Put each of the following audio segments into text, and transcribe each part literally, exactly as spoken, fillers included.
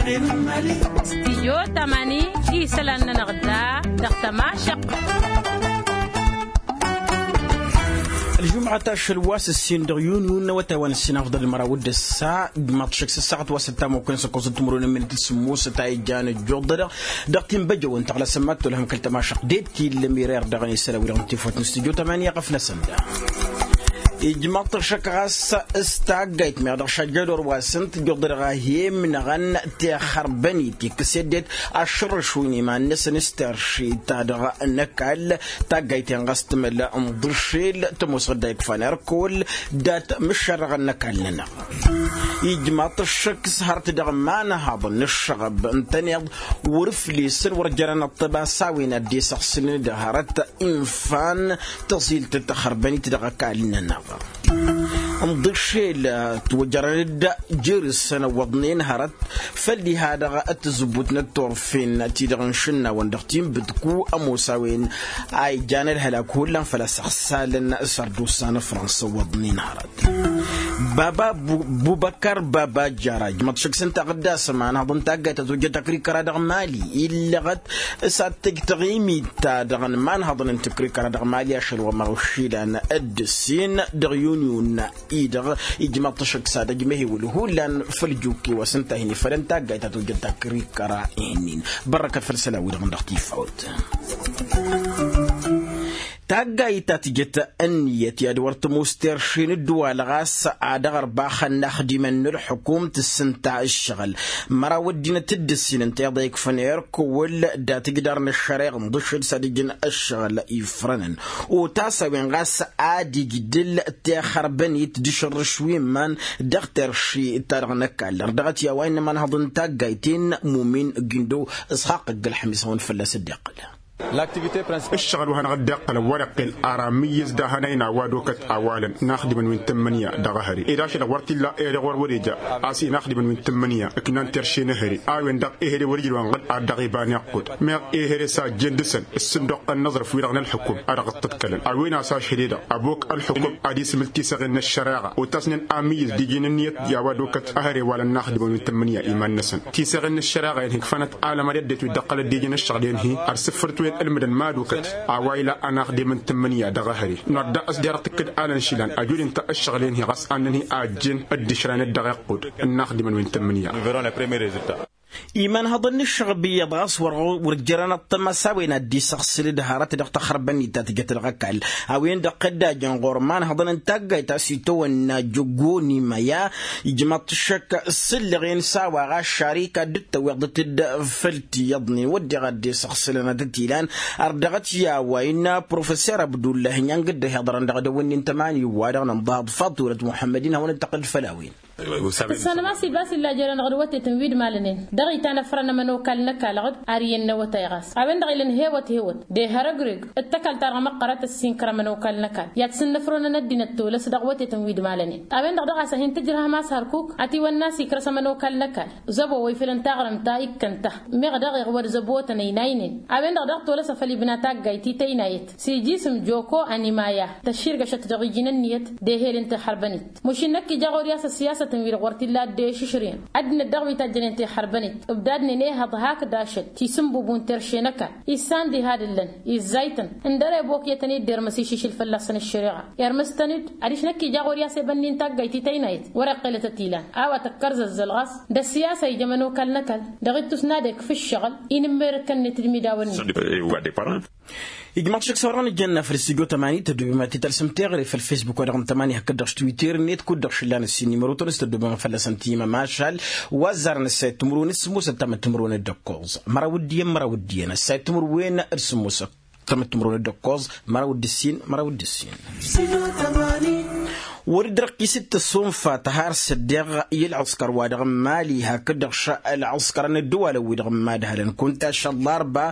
Stijyo tamani isălan-nănăɣ da dăɣ-tămašăq. Ălžumăt ašăl wa s-ǝssin dăɣ-yun yun n-awătay wa n-ǝssin afḍăl măraw d-ǝssa d-maḍšăk s-ǝssaɣăt wa s-ǝttam okăyăn s-ăkkoẓ d-timǝrwen n-imǝnit s-sǝmmosăt a ijjan ǝjjuḍădăɣ dăɣ-tinbăjăwăn tăɣlasăn ma t-olhăm kăl-tămašăq de t-illăm irer dăɣ-ănisăl a-wi-dăɣ n-tifawt n-stijyo tamani iɣăf-năsăn da. Ijmaḍ-t ăššăk ɣas s-taggayt meɣ dăɣ-šajjădor wa s-ǝnta ǝjjuḍădăɣ a hi-imnăɣăn tixărbănit ikkăs i-ăddinăt ašărrăš wi n-iman-năsăn s-terši-ta-dăɣ n-ăkall. Taggayt-en ɣas tǝmăl n-iḍǝššel tămoos ɣǝdda ikfan erkăwăl dat-mǝššărrăɣăn n-ăkall-nănăɣ. Ijmaḍ-t ăššăk s-hărăt dăɣ-imanhaḍăn n-ǝššăɣăb ǝntăneḍ wăr-ǝflesăn wăr jărăn ăṭṭăba s-a-wen ad-dd-isăɣsǝlăn d-hărăt infan tăẓilt tăxărbănit dăɣ-ăkall-nănăɣ. Ǝnḍǝššel ătwăjărăn-dd jer-săn ăwwăḍnen hărăt făll-diha-dăɣ tǝzǝbbut n-ătturfen ti-dăɣ n-išǝnnawăn dăɣ-tinbǝdku ămoos a-wen a ijan ălhălak hullan făl-a-s ăɣsalăn s-ărdusa n-fransa ăwwăḍnen hărăt. Baba bubăkar baba jara ijmăḍ šăkk s-ǝnta ɣǝddas ămanhăḍ n-taggayt ătwăjjăt ăkrikăra dăɣ-mali illăɣăt s-ad-tǝj taɣimit-ta-dăɣ n-imanhăḍăn n-tǝkrikăra dăɣ-mali ašăl wa măɣušilan d-ǝssin dăɣ-yun yun-i-dăɣ ijmăḍ-t ašăk s-ad-ăjmăhewǝl hullan făll-jukke wa s-ǝnta a hin-ifălăn taggayt a tǝwjăt takrikăra ihǝnnin. Bărrăkăt făll-isălan-wi-dăɣ n-dăɣ-tifawt. Taggayt ta tǝjăt ǝnniyăt i-ad-wăr tămoos terše n-ǝddǝwal ɣas ad-aɣărbaxăn n-axdimăn n-ălxukum tǝssǝnta ǝššăɣǝl măraw ăddinăt d-ǝssin ǝnta iḍa ikfăn erk wăl datǝjdar n-ăššăreɣ ǝnḍǝššǝl s-ad-ǝjǝn ăššăɣǝl ifrănăn otas a-wen ɣas ad-ijdǝl tixărbănit d-ašărrǝš wi n-iman dăɣ-terši-ta-dăɣ n-ăkall ărdăɣăt i-a-wa innă imanhăḍ n-taggayt-in mumin gindo. Isxaq ăgg-ălxămis a-wen fălla-s dd-iqqǝl. Ǝššăɣǝl wa hanăɣ-dd-iqqǝlăn wăr-iqqel ar amǝyyǝz d-ahănay n-a-wa d-okăt awalăn n-axdimăn wi n-tǝmmǝnǝya dăɣ-ehăre ed ašăl-dăɣ wăr t-illa ehăre ɣur-wăr-eja a-s hin-axdimăn wi n-tǝmmǝnǝya ǝknan terše n-ehăre a-wen-dăɣ ehăre wăr-ija wa n-ɣǝd ad-dăɣ-iba n-iqqud meɣ ehăre s-a ăjjeen dăɣ-săn ǝssǝnduqqăn n-aẓrǝf-wi-dăɣ n-ălxukum a dăɣ-dd-tǝḍkălăn a-wen a-s ašăl-e-dăɣ ăbok ălxukum ad-isǝmǝl tiseɣen n-ăššăreɣa otasnen amǝyyǝz d-iji n-ǝnniyăt i-a-wa d-okăt ehăre walăn n-axdimăn wi n-tǝmmǝnǝya-i-mad-năsăn tiseɣen n-ăššăreɣa-en hikfanăt alămăr i-ăddinăt wi dd-ăqqălăt d-iji n-ăššăɣǝl-en-hi ărsǝffărăt wen ǝlmǝdăn mad-okăt a-wa ila ănaxdem n-tǝmmǝnǝya dăɣ-ehăre. Nodda a-s derăɣ tǝkkǝd alăn išilan ăjudǝn-ta ăššăɣǝl-en-hi ɣas annăn-hi a ăjjeen dd-išrăyăn-dd dăɣ-iqqud n-inaxdimăn wi n-tǝmmǝnǝya. Imanhăḍăn n-ǝššăɣb iyyăḍ ɣas wăr jărăn ăṭṭăma s-a-wen ad-dd-isăɣsǝl d-hărăt dăɣ-taxărbănit ta tǝjăt dăɣ-ăkall a-wen-dăɣ tăddajăn ɣur-imanhăḍăn n-taggayt a-s itawănna jăggo n-imaya. Ijmăḍ-t ǝššăk s-ǝllăɣen s-a-wa ɣas šarika dd-tăwweḍăt-dd făll-tiyyăḍnen wădden ad-dd-isăɣsǝlăn ad-tăt-ilan. Ărdăɣăt i-a-wa innă professor abdullah inyang dd-ăhiḍărăn dăɣ-edăwănni n-tămani wa-dăɣ n-ănḍaḍ faḍt wălăt muḥămmăd-in hawăn-dd-tăqqǝl făll-a-wen. Tǝssanăm a-s ilbas illa jer-anăɣ d-wătetăn wi d-malănen dăɣ-itan ăfrăn ămănokal n-ăkall ɣǝd ar iyyăn n-awătay ɣas a-wen-dăɣ ilăn hewăt hewăt d-ehărăgreg d-tăkalt-ta-dăɣ măqqărăt ăssinkăr ămănokal n-ăkall i-ad-sǝnnăfrăwăn ăddinăt tolăs dăɣ-wătetăn wi d-malănen. A-wen-dăɣ daɣ a-s ad-hin-tǝjrăhăm a-s hărkuk ătiwănna a-s ikrăs ămănokal n-ăkall zăbo wa ifălăn taɣrǝmt ta ikkăn-ta meɣ dăɣ-iɣwăd zăbotăn ăynaynen. A-wen-dăɣ daɣ tolăsăf ălibna taggayt i-tăynayăt s-iji isǝm joko ănimaya tăšširgăšăt dăɣ-iji n-ǝnniyăt d-ehel n-tihărbănit. Mušin năkk ija ɣur-i a-s ăssiyasătăn-wi-dăɣ wăr t-illa ăddešǝšrǝyăn ăddinăt dăɣ-wi tajjănen tihărbănit ǝbdadnen ehăḍ hakd ašăl tisǝnbubun terše n-ăkall issan diha d-ǝllăn izzaytăn ǝndăr ebokǝyătăn-dd irmǝs išǝšǝl fălla-săn ăššăreɣa. Irmǝs-tăn-dd adiš năkk ija ɣur-i a-s ebănni n-taggayt i-tăynayăt wăr-iqqǝlăt ătilan a-wa tăkkărzăzzăl ɣas d-ăssiyasa ija ămănokal n-ăkall dăɣ-ittus n-ad-ekf ǝššăɣǝl. Inǝmmerăt kănnăt d-imidawăn-net. Ijmaḍ-t šăkk s-orăn ǝjjănna făll-stujo tămani tăddobem ad-t-tălsăm teɣăre făll-facebook-wa-dăɣ n-tămani hakd-dăɣ s-twitter-net kud-dăɣ šǝllan ǝssin n-imărotăn s-tăddobem fălla-săn timăm ašal wa ăzzarăn ăssayăt timǝrwen d-sǝmmosăt tamăt timǝrwen d-ǝkkoẓ măraw d-iyyăn măraw d-iyyăn ăssayăt timǝrwen d-sǝmmosăt tamăttimrun d-ǝkkoẓ măraw d-ǝssin măraw d-ǝssin. Wăr-dd-răqqis d-tăsonfa tăhar s-ăddeɣ i-ălɣǝskăr-wa-dăɣ n-mali hakd-dăɣ ălɣǝskărăn ăddăwalăn-wi-dăɣ n-imadhălăn kunta ašăl ḍarba.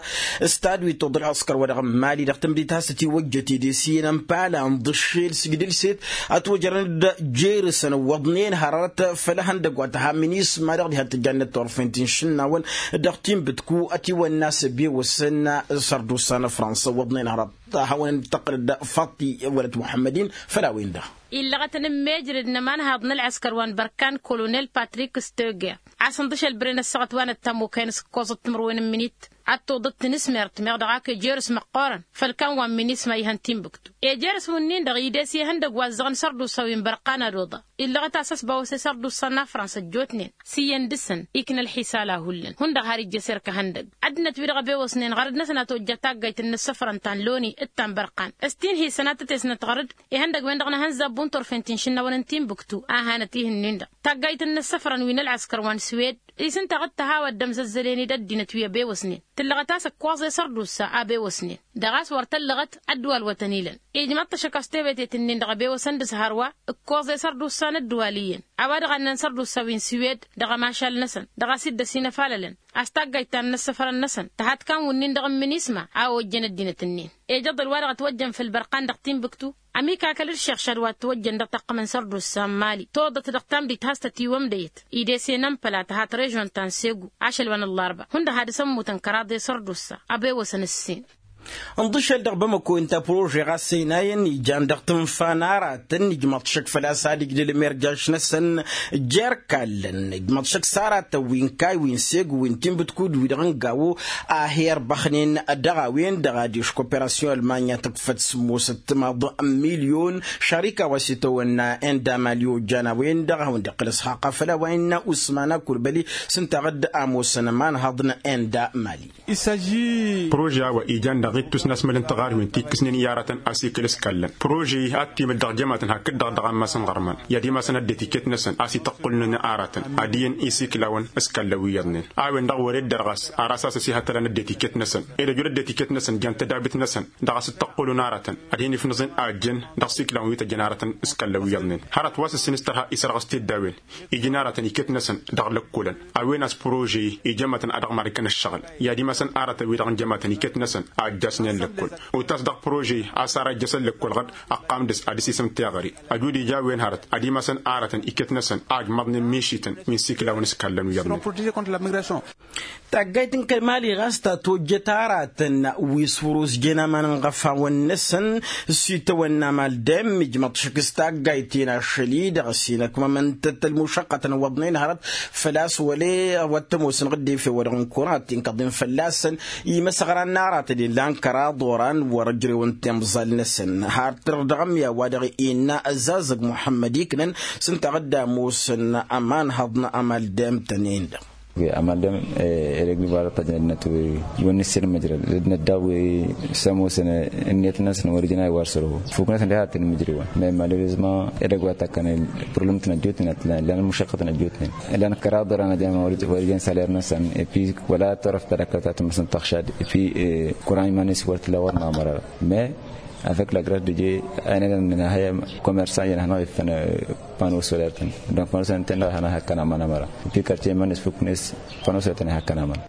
S-tadwit toḍ ălɣǝskăr-wa-dăɣ n-mali dăɣ-tǝmdit has-tătiwăjjăt edesiyăn n-pala n-ḍǝššel s-igdǝlset ătwăjrăn-dd jer-săn ǝwwăḍnen hărăt făll-ehăndăgg wa tăha minisma-dăɣ diha t-ǝjjannăt turfen ti n-išǝnnawăn dăɣ-tinbǝtku ătiwănna s-ăbewăsăn. Sărdusa n-fransa ǝwwăḍnen hărăt hawăn-dd-tăqqǝlăd faṭi wălăt muḥămmăd-in făll-a-wen-dăɣ. illăɣătăn n-mejrăd n-ămanhaḍ n-ălɣăskăr wa n-bărkan kolonel patrik stöger, a-s ǝnḍǝšăl bren ăssaɣăt wa n-ăttamokăyăn s-ǝkkoẓăt timǝrwen n-minit ad-toḍăt tinǝsmert meɣ dăɣ-ak ejerǝs măqqoorăn făll-kan wa n-minisma ihăn tinbǝktu. Ejerǝs wǝnnin-dăɣ ides i-ihăndăgg wa ǝzzăɣăn sărdusa wi n-bărqan ad-oḍa illăɣăt a-s ăsbawăse sărdusa n-afrans ăjjootnen s-iyyăn dăɣ-săn ikna ălxisal a hullan hundăɣ har ijjăser kăhăndăgg. Ăddinăt-wi-dăɣ ăbewăsnen ɣărăd-năsăn a tojja taggayt n-inǝssăfrăn ta n-loni d-ta n-bărqan s-tinhǝysan ad-tăt-esnăt ɣărăd ihăndăgg-wen-dăɣ n-ehănzabbu n-turfen ti n-išǝnnawăn n-tinbǝktu a hanăt-ih ǝnnin-dăɣ taggayt n-inǝssăfrăn wi n-ălɣăskăr wa n-swed. Isǝnta ɣǝd tăhawăt d-ămzăzzălen-dd ăddinăt wi ăbewăsnen tǝllăɣăt a-s ǝkkoẓ i-sărdusa a bewăsnen dăɣ-a-s wăr tăllăɣăt ăddwal wătăn-ilăn. Ijmăḍ-t ašăk a-s tewătet-ǝnnin dăɣ-ebewăsăn d-ǝzhar wa ǝkkoẓ i-sărdusa n-ăddwal iyyăn a-wa dăɣ-annăn sărdusa wi n-swed dăɣ-ămašal-năsăn dăɣ-a-s dd-ăsinăfalălăn a-s taggayt ta n-inǝssăfrăn-năsăn tăhat kan wǝnnin-dăɣ n-minisma a ojjăn ăddinăt-ǝnnin. Ejăḍăl wa dăɣ-ătwăjjăn făll-bărqan dăɣ-tinbǝktu ămikakăl d-iššăɣšad wa ătwăjjăn dăɣ-taqqǝm n-sărdusa n-mali toḍăt dăɣ-tamdit has-tătiwămdăyăt idesen ănpăla tăhat režon ta n-segu ašăl wa n-ăllarba hundăɣ had-s ămmutăn kăraḍe sărdusa. Ăbewăsăn ǝssin. Ǝnḍǝšăl dăɣ-bamăko inta prože ɣas ăynayăn ijan dăɣ-tǝnfa n-aratăn ijmăḍ šăkk făl-a-s ad-ijdǝl imerjaš-năsăn jer-kallăn ijmăḍ šăkk s-aratăn wi n-kayy wi n-segu wi n-tinbǝtkud wi-dăɣ n-gawo a hi-ărbăxnen dăɣ-a-wen-dăɣ adiš koperasyon ălmanya tǝkfăt sǝmmosăt timaḍ n-milyon šarika wa s-itawănna enda mali ojjan a-wen-dăɣ a hawăn-dd-iqqǝl ăsxaqa făll-a-wa innă usman akulbăli s-ǝnta ɣǝd-ămoosăn ămanhăḍ n-enda mali. Prože a-wa ijan dăɣ-ittus n-asmăl n-tiɣarwen ti ǝkkǝsnen i-aratăn asikǝl s-kallăn prože-i ad-t-imǝl dăɣ-jămatăn hakd-dăɣ dăɣ-ammas n-iɣărman i-ad-imasăn ăddinăt iket-năsăn a-s ităqqulnen aratăn ad-iyyăn isikǝlawăn s-kallăn wi iyyăḍnen. A-wen-dăɣ wăr-ed-dăr ɣas ar asas ăsihătălăn ăddinăt iket-năsăn ed ăjud ăddinăt iket-năsăn jan tădabit-năsăn dăɣ-a-s ǝttăqqulun aratăn ad-hin-ifnǝẓen a ăjjeen dăɣ-isikǝlawăn wi tăjjăn aratăn s-kallăn wi iyyăḍnen. Hărăt wa s-ǝssin s-tărha isărɣǝs tiddawen iji n-aratăn iket-năsăn dăɣ-lăkkolăn a-wen a-s prože-i ijămătăn ad-ăɣmar ikăn ǝššăɣǝl i-ad-imasăn aratăn-wi-dăɣ n-jămătăn iket-năsăn a ǝjjasnen lăkkol. Utas dăɣ-prože-i a-s ara ǝjjăsăn lăkkol ɣǝd ăqqam dăɣ-s ad-dăɣ-s isǝm tiɣăre ăjud ija a-wen hărăt ad-imasăn aratăn iket-năsăn a ǝjmăḍnen mišităn wi n-siklawăn s-kallăn wi iyyăḍnen. Taggayt n-kăl-mali ɣas ta tojjăt aratăn wi s-wăr-osjen aman n-iɣăfawăn-năsăn s-itawănna amal dem ijmăḍ šăkk s-taggayt-in ašăl-i-dăɣ s-inăkmămăn-tăt ălmušăqqătăn iwwăḍnen hărăt făl-a-s wăla wa t-ămoosăn ɣǝddefe wa dăɣ-n kăwăn ad-t-inkăḍen fălla-săn. Imăsăɣran n-aratăn illan kăraḍ oran wăr-ǝjrewăn timẓal-năsăn har tǝrr dăɣ-ămmiya wa dăɣ-innă ăzzazăg muḥămmăd iknăn s-ǝnta a ɣǝdda ămoosăn ămanhăḍ n-amal dem-tăn-en-dăɣ. Amal dem edăgg-wi bara tăjnădnăt wi wăn n-issir măjrăd d-năddaw wi s-ămoosăn ǝnniyăt-năsăn wăr-ijăn a iwar săr-hu fuk-năsăn deha tǝnmǝjrǝwăn. Mais malheureusement edăgg wa takkăn problem-tăn ăjjootnen ătlan ǝllan ălmušăqqătăn ăjjootnen ǝllan kăraḍ ăran ăjăn wăr-ijăn saler-năsăn. Epi wăla tărăf tadăkkăt a tǝmmăsăn tăɣšad epi kuran iman-is wăr t-illa wăr n-amăra. Mais avec la grâce de dieu a inăgăn nǝnhăyăm commerçant i-năhnăɣ iffăn panneau solaire-tăn donc panneau solaire-tăn dăɣ-hanăɣ hakkăn aman ămăra. Epi quartier iman-is fuk-net panneau solaire-tăn i-hakkăn aman.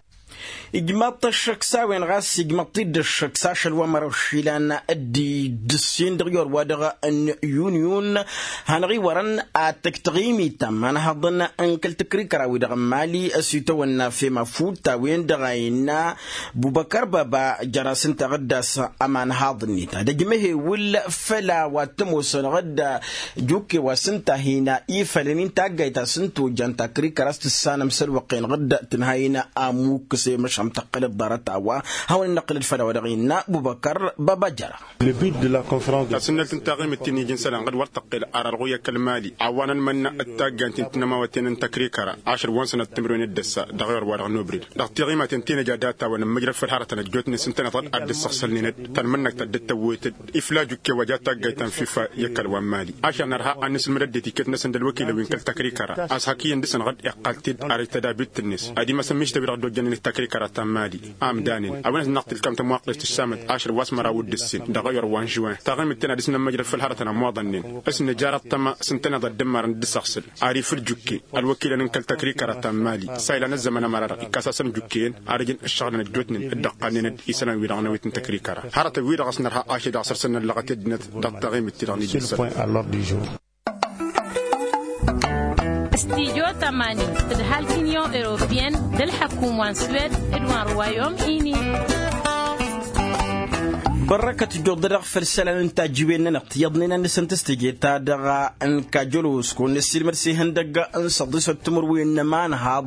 Ijmaḍ-t ăššăk s-a-wen ɣas ijmaḍ-t-dd ăššăk s-ašăl wa măraw išilan d-dd-ǝssin dăɣ-iwăr wa-dăɣ n-yun-yun. Hanăɣ-iwărăn ad-tăj taɣimit ta n-imanhăḍăn n-kăl-tăkrikăra-wi-dăɣ n-mali ăsitawănna fem afut ta-wen-dăɣ a innă bubăkăr baba jăra s-ǝnta ɣǝdda s-ămanhăḍ-net ad-ăjmăhewǝl făll-a-wa t-ămoosăn ɣǝdda. Jukke wa s-ǝnta a hin-ifălăn-in taggayt a-s n-tojjan takrikăra a-s tǝssanăm s-ălwăqq-en ɣǝdda tǝnha-in. Ămukkǝs i-măšan tăqqǝlăt ḍarăt a-wa hawăn-in-năqqǝlăt făll-a-wa dăɣ-innă bubăkăr baba jăra. Tasǝnnălt n-taɣimit ti n-iji n-isălan ɣǝd wăr tăqqel ar ălɣuy i-kăl-mali a-wa n-ănmănna d-taggant ti n-tinămawăten n-tăkrikăra ašăl wa n-sănăt timǝrwen d-ăssa dăɣ-iwăr wa-dăɣ n-obrid. Dăɣ-tiɣimaten ti n-ija data-wăn n-măjrăd făll-hărătăn ăjjootnen s-ǝntăneḍ ad-dd-săɣsălnen-dd tanmănnăkt ta dd-tăwwet-dd ifla jukke wa ja taggayt ta n-fifa i-kăl wa n-mali. Ašăl nărha ad-nǝsǝlmǝd ăddinăt iket-năsăn d-ălwăkilăn wi n-kăl-tăkrikăra a-s hak iyyăn dăɣ-săn ɣǝd iqqal-t-dd ar tădabit-net ad-imasăn mišta wi-dăɣ dd-ojjănnen d-tăkrikăra ta n-mali. Amdanen a-wen ad-năɣ tǝlkam tămwaqqest tǝssamăt ašăl wa s-măraw d-ǝssin dăɣ-ayăr wa n-žuwen taɣimit-ten ad-dăɣ-s nămmăjrăd făll-hărătăn ămwaḍănnen. S-nǝjar ăṭṭăma s-ǝntăneḍ ad-dd-ǝmmarăn d-asăɣsǝl ar ifǝl jukke ălwăkilăn n-kăl-tăkrikăra ta n-mali. S-a ilan ăzzăman ămăra-dăɣ ikkas-asăn jukke-en ar ǝjǝn ǝššăɣǝlăn ăjjootnen d-ăqqannen-dd isălan-wi-dăɣ n-awet n-tăkrikăra. Hărătăn-wi-dăɣ a-s nărha ašăl-i-dăɣ săr-săn n-ăllăɣăt i-ăddinăt dăɣ-taɣimit-ti-dăɣ n-ija n-isălan. Studio tămanin tǝdhal t-union europeyenne d-ălḥăkum wa n-suwed d-wa n-ruwayom ini. Bărrăkăt ǝjjuḍ-dăɣ făll-isălan n-tajǝwen-nănăɣ tiyyăḍnen ad-nǝsǝntǝs teje-ta-dăɣ n-kajălos kăwăn-năssiilmăd s-ihăndăgg n-săḍisăt timǝrwen n-ămanhaḍ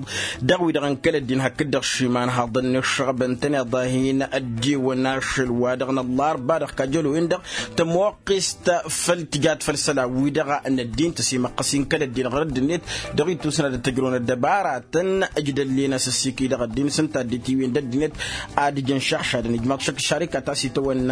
dăɣ-wi-dăɣ n-kăl-ăddin hakd-dăɣ šimanhaḍăn n-iššăɣbăn-tăn iḍahin ăddiwăn ašăl-wa-dăɣ n-ăllarba dăɣ-kajălo-in-dăɣ tămoqqist făll-tijat făll-isălan-wi-dăɣ n-ăddin tăsimăqqăs-in kăl-ăddin ɣur-ăddinăt dăɣ-ittusna d-tăjrăwăn ăddăbaratăn ǝjdăllen asǝssiki-dăɣ ăddin s-ǝnta dd-tiwen d-ăddinăt ad-ǝjǝn šăɣšadăn ijmaḍ šăkk šarikat a-s itawănna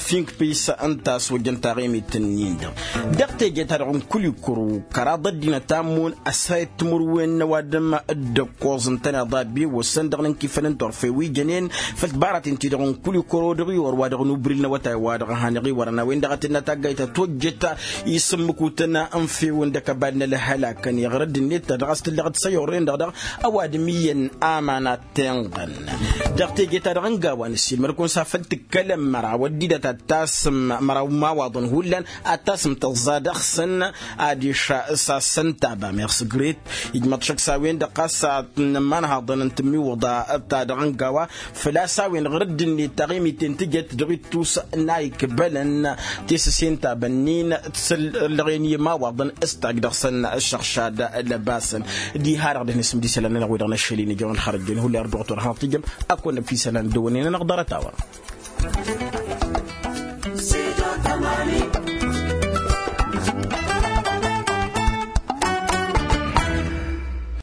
finkpis ǝnta a-s wăjjăn taɣimit-nin-dăɣ dăɣ-teje-ta-dăɣ n-kulikuro kăraḍ ăddinăt a ǝmmun ăsayăt timǝrwen n-ăwadǝm d-ăkkoẓ ǝntăneḍ a ăbbiwăssăn dăɣ-inǝnkifăn n-turfe wi jănen făll-tibaraten-ti-dăɣ n-kulikuro dăɣ-iwăr wa dăɣ-nubril n-awătay wa dăɣ-hanăɣ-iwărăn a-wen-dăɣ a tǝnna taggayt a tojjăt isǝmmǝkutăn n-fewăn d-akăbal n-ălhălakăn iɣrăd-net ta dăɣ-a-s tǝllăɣ d-săyurren-dăɣ dăɣ-ăwadǝm iyyăn aman ad-tenɣăn dăɣ-teje-ta-dăɣ n-gawa n-ăssiilmăd-kăwăn s-afăl tǝkkălăm măraw ăddinăt ad-tasǝm măraw n-imawaḍăn hullan ad-tasǝm tăẓẓa dăɣ-săn adiš s-asăn taba meɣ s-gret ijmăḍ šăkk s-a-wen-dăɣ ɣas n-ămanhaḍăn n-tǝmmiwǝḍa ta dăɣ-n gawa făl-a-s a-wen ɣur-dd-net taɣimiten tǝjăt dăɣ-ittus n-a ikbălăn tesăse n-tabănnin tǝsǝllăɣen i-imawaḍăn s-tajj dăɣ-săn ăššăɣšad lăbasăn diha-dăɣ dăɣ-nǝsǝm d-isălan-nănăɣ wi-dăɣ n-ašăl-in ijăɣăn xărăjjăn hullan ărdăɣăt wăr hanăɣ-tǝjjăm ad-kăwăn-năfisălan dd-ăwwănnen-anăɣ ḍarăt-a-wa.